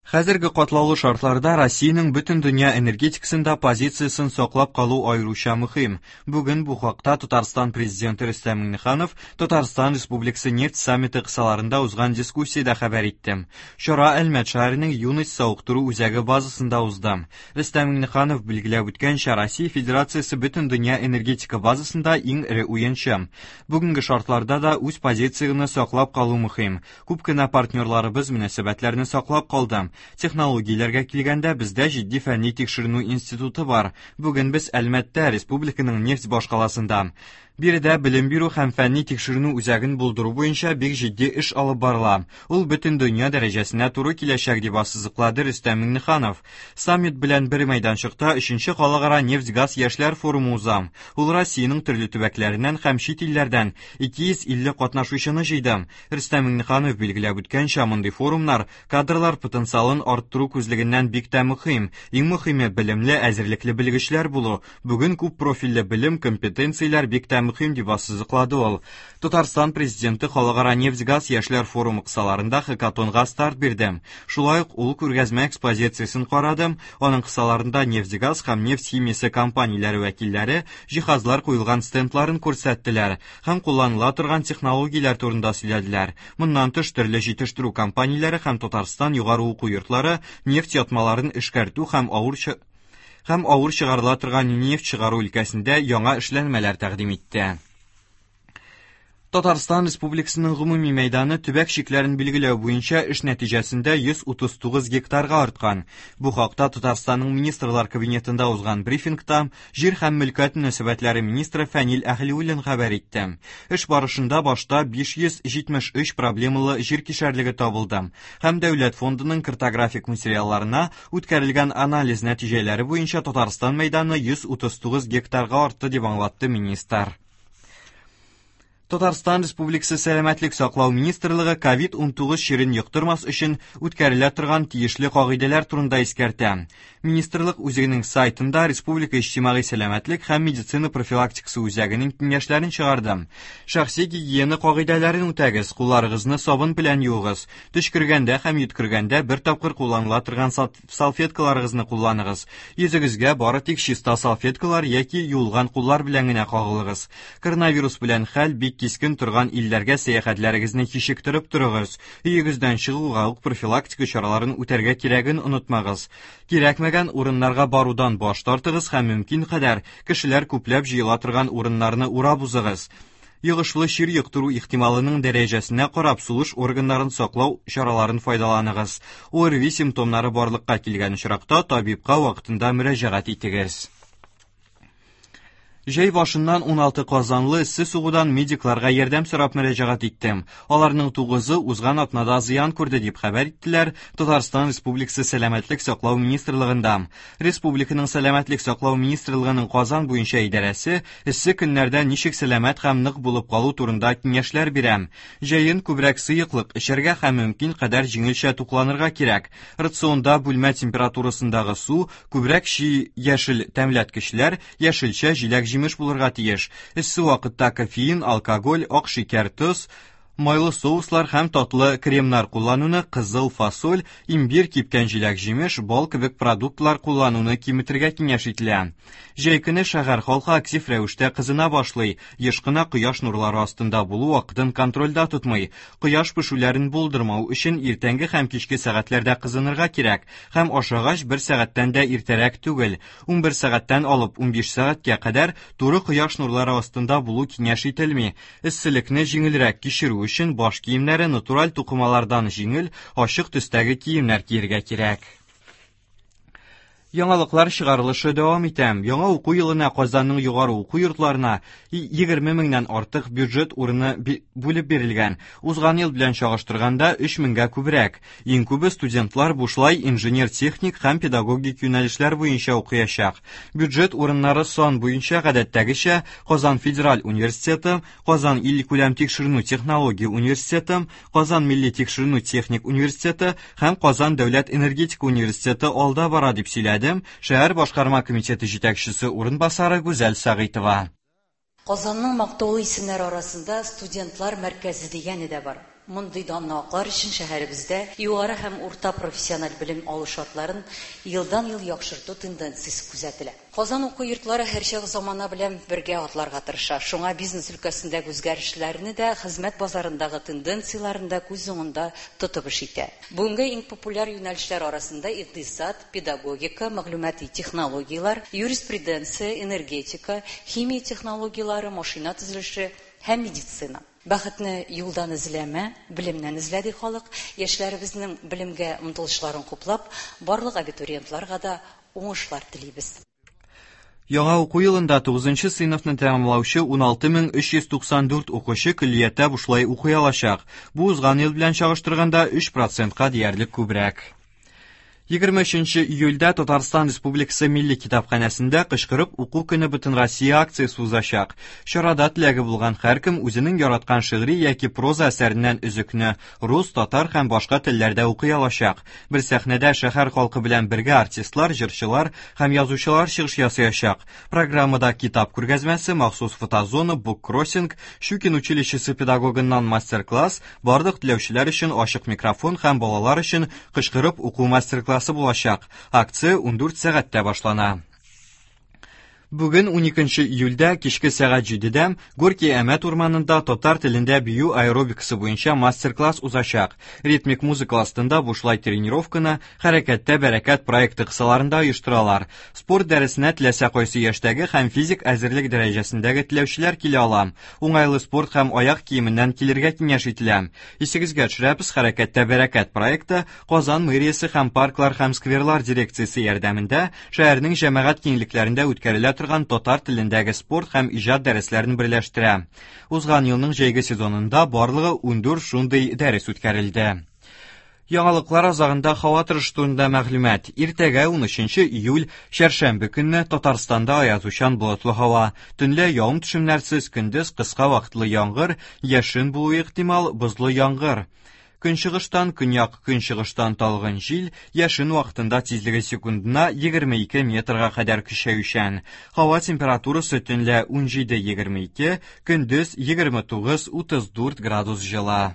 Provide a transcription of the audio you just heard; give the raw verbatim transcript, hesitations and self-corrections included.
Хәзерге катлаулы шартларда Россиянең бөтен дөнья энергетикасында позициясен саклап калу аеруча мөһим. Бүген бу хакта Татарстан Президенты Рөстәм Миңнеханов Татарстан Республикасы нефть саммиты кысаларында узган дискуссиядә хәбәр итте. Чара Әлмәт шәһәренең Юность савыктыру үзәге базасында узды. Рөстәм Миңнеханов билгеләп үткәнчә, Россия Федерациясе бөтен дөнья энергетика базасында иң эре уенчы. Бүгенге шартларда да үз позицияңне саклап калу мөһим. Күп кенә партнерларыбыз мөнәсәбәтләрне саклап калды. Технологияләргә килгәндә, бездә җитди фәнни тикшеренү институты бар. Бүген без Әлмәттә, республиканың нефть башкаласында. Биредә белем бирү һәм фәнни тикшеренү үзәген булдыру буенча бик җитди эш алып барыла. Ул бөтен дөнья дәрәҗәсенә туры киләчәк, дип ассызыклады Рөстәм Миңнеханов. Саммит белән бер мәйданчыкта өченче халыкара нефть-газ яшьләр форумы уза. Ул Россиянең төрле төбәкләреннән һәм чит илләрдән ике йөз илле катнашучыны җыйды. Рөстәм Миңнеханов билгеләп үткәнчә, мондый форумнар кадрлар потенциалын арттыру күзлегеннән бик тә мөһим. Иң мөһиме белемле, әзерлекле белгечләр булу. Бүген күп профильле белем, компетенцияләр бик тә мөһим, дип ассызыклады ул. Татарстан Президенты халыкара нефть-газ яшьләр форумы кысаларында хакатонга старт бирде. Шулай ук ул күргәзмә экспозициясен карады. Аның кысаларында нефть-газ һәм нефть химиясе компанияләре вәкилләре җиһазлар куелган стендларын күрсәттеләр һәм кулланыла торган технологияләр турында сөйләделәр. Моннан тыш төрле җитештерү компанияләре һәм Татарстан югары уку йортлары нефть ятмаларын эшкәртү һәм авыр чы-, һәм авыр чыгарыла торган нефть чыгару өлкәсендә яңа эшләнмәләр тәкъдим итте. Татарстан Республикасының гомуми мәйданы төбәк чикләрен билгеләү буенча эш нәтиҗәсендә йөз утыз тугыз гектарга арткан. Бу хакта Татарстанның Министрлар Кабинетында узган брифингта Җир һәм мөлкәт мөнәсәбәтләре министры Фәнил Әһлиуллин хәбәр итте. Эш барышында башта биш йөз җитмеш өч проблемалы җир кишәрлеге табылды һәм Дәүләт фондының картографик материалларына үткәрелгән анализ нәтиҗәләре буенча Татарстан мәйданы йөз утыз тугыз гектарга артты, дип аңлатты министр. Татарстан Республикасы Сәламәтлек саклау министрлыгы ковид унтугыз чирен йоктырмас өчен үткәрелә торган тиешле кагыйдәләр турында искәртә. Министрлык үзенең сайтында Республика иҗтимагый сәламәтлек һәм медицина профилактикасы үзәгенең киңәшләрен чыгарды. Шәхси гигиена кагыйдәләрен үтәгез, кулларыгызны сабын белән юыгыз, төчкергәндә һәм йөткергәндә бер тапкыр кулланыла торган сал-, салфеткаларыгызны кулланыгыз. Йөзегезгә бары тик чиста салфеткалар яки юылган куллар белән генә кагылыгыз. Коронавирус белән хәл бик кискен торган илләргә сәяхәтләрегезне кичектереп торыгыз. Өегездән чыгуга ук профилактика чараларын үтәргә кирәген онытмагыз. Кирәкмәгән урыннарга барудан баш тартыгыз һәм мөмкин кадәр кешеләр күпләп җыела торган урыннарны урап узыгыз. Йогышлы чир йоктыру ихтималының дәрәҗәсенә карап сулыш органнарын саклау чараларын файдаланыгыз. ОРВИ симптомнары барлыкка килгән очракта табибка вакытында мөрәҗәгать итегез. Җәй башыннан уналты казанлы эссе сугудан медикларга ярдәм сорап мөрәҗәгать итте. Аларның тугызы узган атнада зыян күрде, дип хәбәр иттеләр Татарстан Республикасы Сәламәтлек саклау министрлыгында. Республиканың Сәламәтлек саклау министрлыгының Казан буенча идарәсе эссе көннәрдә ничек сәламәт һәм нык булып калу турында киңәшләр бирә. Җәен күбрәк сыеклык эчәргә һәм мөмкин кадәр җиңелчә тукланырга кирәк. Рационда бүлмә температурасындагы су, күбрәк чи яшел тәмләткечләр, яшелчә, җиләк-җимеш булырга тиеш. Эссе вакытта кофеин, алкоголь, ак шикәр, тоз, майлы соуслар һәм татлы кремнар куллануны, кызыл фасоль, имбир, кипкән җиләк-җимеш, бал кебек продуктлар куллануны киметергә киңәш ителә. Җәй көне шәһәр халкы актив рәвештә кызына башлый. Еш кына кояш нурлары астында булу вакытын контрольдә тотмый. Кояш пешүләрен булдырмау өчен иртәнге һәм кичке сәгатьләрдә кызынырга кирәк һәм ашагач бер сәгатьтән дә иртәрәк түгел. Унбер сәгатьтән алып унбиш сәгатькә кадәр туры кояш нурлары астында булу киңәш ителми. Эсселекне җиңелрәк кичерү өчен баш киемнәре натураль тукымалардан җиңел, ачык төстәге киемнәр кияргә кирәк. Яңалыклар чыгарылышы дәвам итә. Яңа уку елына Казанның югары уку йортларына егерме меңнән артык бюджет урыны би-, бүлеп бирелгән. Узган ел белән чагыштырганда өч меңгә күбрәк. Иң күбе студентлар бушлай инженер-техник һәм педагогик юнәлешләр буенча укыячак. Бюджет урыннары сан буенча гадәттәгечә Казан федераль университеты, Казан илкүләм тикшеренү технология университеты, Казан милли тикшеренү техник университеты һәм Казан дәүләт энергетика университеты алда бара, дип сөйләде шәһәр башкарма комитеты җитәкчесе урынбасары Гүзәл Сәгыйтова. Казанның мактаулы исемнәре арасында студентлар мәркәзе дигәне дә бар. Мондый данны аклар өчен шәһәребездә югары һәм урта профессиональ белем алу шартларын елдан-ел яхшырту тенденциясе күзәтелә. Казан уку йортлары һәрчак замана белән бергә атларга тырыша. Шуңа бизнес өлкәсендәге үзгәрешләрне дә, хезмәт базарындагы тенденцияләрне дә күз уңында тотып эш итә. Бүгенге иң популяр юнәлешләр арасында икътисад, педагогика, мәгълүмати технологияләр, юриспруденция, энергетика, химия технологияләре, машина төзелеше һәм медицина. Бәхетне юлдан эзләмә, белемнән эзлә, ди халык. Яшьләребезнең белемгә омтылышларын хуплап, барлык абитуриентларга да уңышлар телибез. Яңа уку елында тугызынчы сыйныфны тәмамлаучы уналты мең өч йөз туксан дүрт укучы көллияттә бушлай укый алачак. Бу узган ел белән чагыштырганда өч процентка диярлек күбрәк. Егерме өченче июльдә Татарстан Республикасы Милли китапханәсендә кычкырып уку көне Бөтенроссия акциясе узачак. Чарада теләге булган һәркем үзенең яраткан шигъри яки проза әсәреннән өзекне рус, татар һәм башка телләрдә укый алачак. Бер сәхнәдә шәһәр халкы белән бергә артистлар, җырчылар һәм язучылар чыгыш ясаячак. Программада китап күргәзмәсе, махсус фотозона, буккроссинг, Щукин училищесы педагогыннан мастер-класс, барлык теләүчеләр өчен ачык микрофон һәм балалар өчен кычкырып уку мастер-классы булачак. Акция ундүрт сәгатьтә башлана. Бүген уникенче июльдә кичке сәгать җидедә Горький Әмәт урманында татар телендә бию аэробикасы буенча мастер-класс узачак. Ритмик музыка астында бушлай тренировканы Хәрәкәттә бәрәкәт проекты кысаларында оештыралар. Спорт дәресенә теләсә кайсы яшьтәге һәм физик әзерлек дәрәҗәсендәге теләүчеләр килә ала. Уңайлы спорт һәм аяк киеменнән килергә киңәш ителә. Исегезгә төшерәбез, Хәрәкәттә бәрәкәт проекты Казан мэриясе һәм парклар һәм скверлар дирекциясе ярдәмендә шәһәрнең җәмәгать киңлекләрендә үткәрелә торган татар телендәге спорт һәм иҗат дәресләрен берләштерә. Узган елның җәйге сезонында барлыгы ундүрт шундый дәрес үткәрелде. Яңалыклар азагында һава торышы турында мәгълүмат. Иртәгә унөченче июль чәршәмбе көнне Татарстанда аязучан болытлы һава. Төнлә явым-төшемнәрсез, көндез кыска вакытлы яңгыр, яшен булуы ихтимал, бозлы яңгыр. Көнчыгыштан, көньяк көнчыгыштан талгын җил, яшен вакытында тизлеге секундына егерме ике метрга кадәр көчәючән. Һава температурасы төнлә унҗиде егерме ике, көндез егерме тугыз утыз дүрт градус җылы.